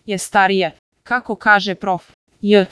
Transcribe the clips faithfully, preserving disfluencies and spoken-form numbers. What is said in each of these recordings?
je starija. Kako kaže prof. J.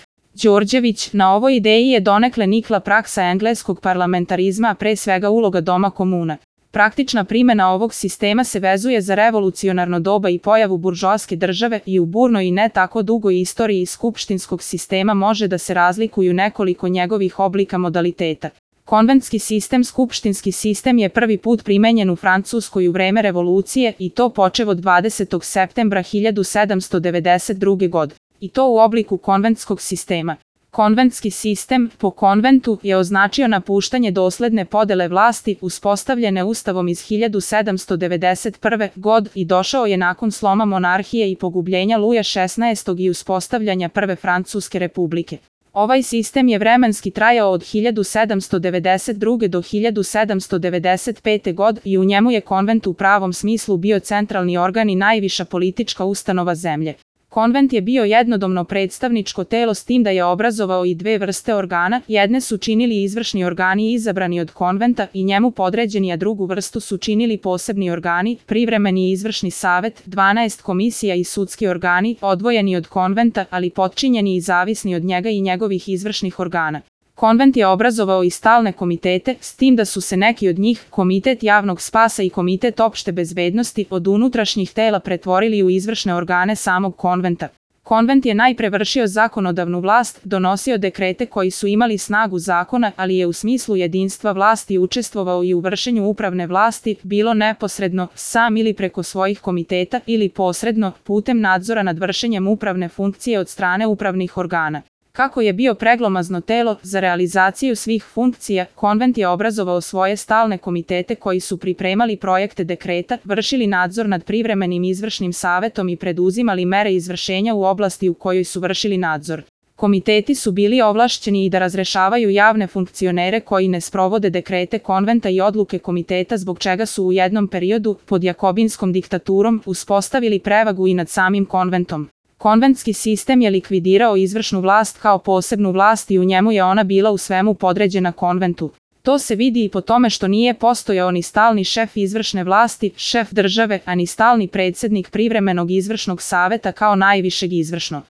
Đorđević, na ovoj ideji je donekle nikla praksa engleskog parlamentarizma, a pre svega uloga doma komuna. Praktična primjena ovog sistema se vezuje za revolucionarno doba i pojavu buržoaske države i u burnoj i ne tako dugoj istoriji skupštinskog sistema može da se razlikuju nekoliko njegovih oblika modaliteta. Konventski sistem, skupštinski sistem je prvi put primenjen u Francuskoj u vreme revolucije i to počev od dvadesetog septembra hiljadu sedamsto devedeset druge. godine. I to u obliku konventskog sistema. Konventski sistem, po konventu, je označio napuštanje dosledne podele vlasti uspostavljene Ustavom iz hiljadu sedamsto devedeset prve. godine i došao je nakon sloma monarhije i pogubljenja Luja šesnaestog. i uspostavljanja Prve Francuske republike. Ovaj sistem je vremenski trajao od hiljadu sedamsto devedeset druge. do hiljadu sedamsto devedeset pete. godine i u njemu je konvent u pravom smislu bio centralni organ i najviša politička ustanova zemlje. Konvent je bio jednodomno predstavničko telo s tim da je obrazovao i dve vrste organa, jedne su činili izvršni organi izabrani od konventa i njemu podređeni, a drugu vrstu su činili posebni organi, privremeni i izvršni savet, dvanaest komisija i sudski organi, odvojeni od konventa, ali potčinjeni i zavisni od njega i njegovih izvršnih organa. Konvent je obrazovao i stalne komitete, s tim da su se neki od njih, Komitet javnog spasa i Komitet opšte bezbednosti, od unutrašnjih tela pretvorili u izvršne organe samog konventa. Konvent je najpre vršio zakonodavnu vlast, donosio dekrete koji su imali snagu zakona, ali je u smislu jedinstva vlasti učestvovao i u vršenju upravne vlasti, bilo neposredno, sam ili preko svojih komiteta, ili posredno, putem nadzora nad vršenjem upravne funkcije od strane upravnih organa. Kako je bio preglomazno telo za realizaciju svih funkcija, konvent je obrazovao svoje stalne komitete koji su pripremali projekte dekreta, vršili nadzor nad privremenim izvršnim savetom i preduzimali mere izvršenja u oblasti u kojoj su vršili nadzor. Komiteti su bili ovlašćeni i da razrešavaju javne funkcionere koji ne sprovode dekrete konventa i odluke komiteta, zbog čega su u jednom periodu, pod jakobinskom diktaturom, uspostavili prevagu i nad samim konventom. Konventski sistem je likvidirao izvršnu vlast kao posebnu vlast i u njemu je ona bila u svemu podređena konventu. To se vidi i po tome što nije postojao ni stalni šef izvršne vlasti, šef države, a ni stalni predsjednik privremenog izvršnog saveta kao najvišeg izvršno.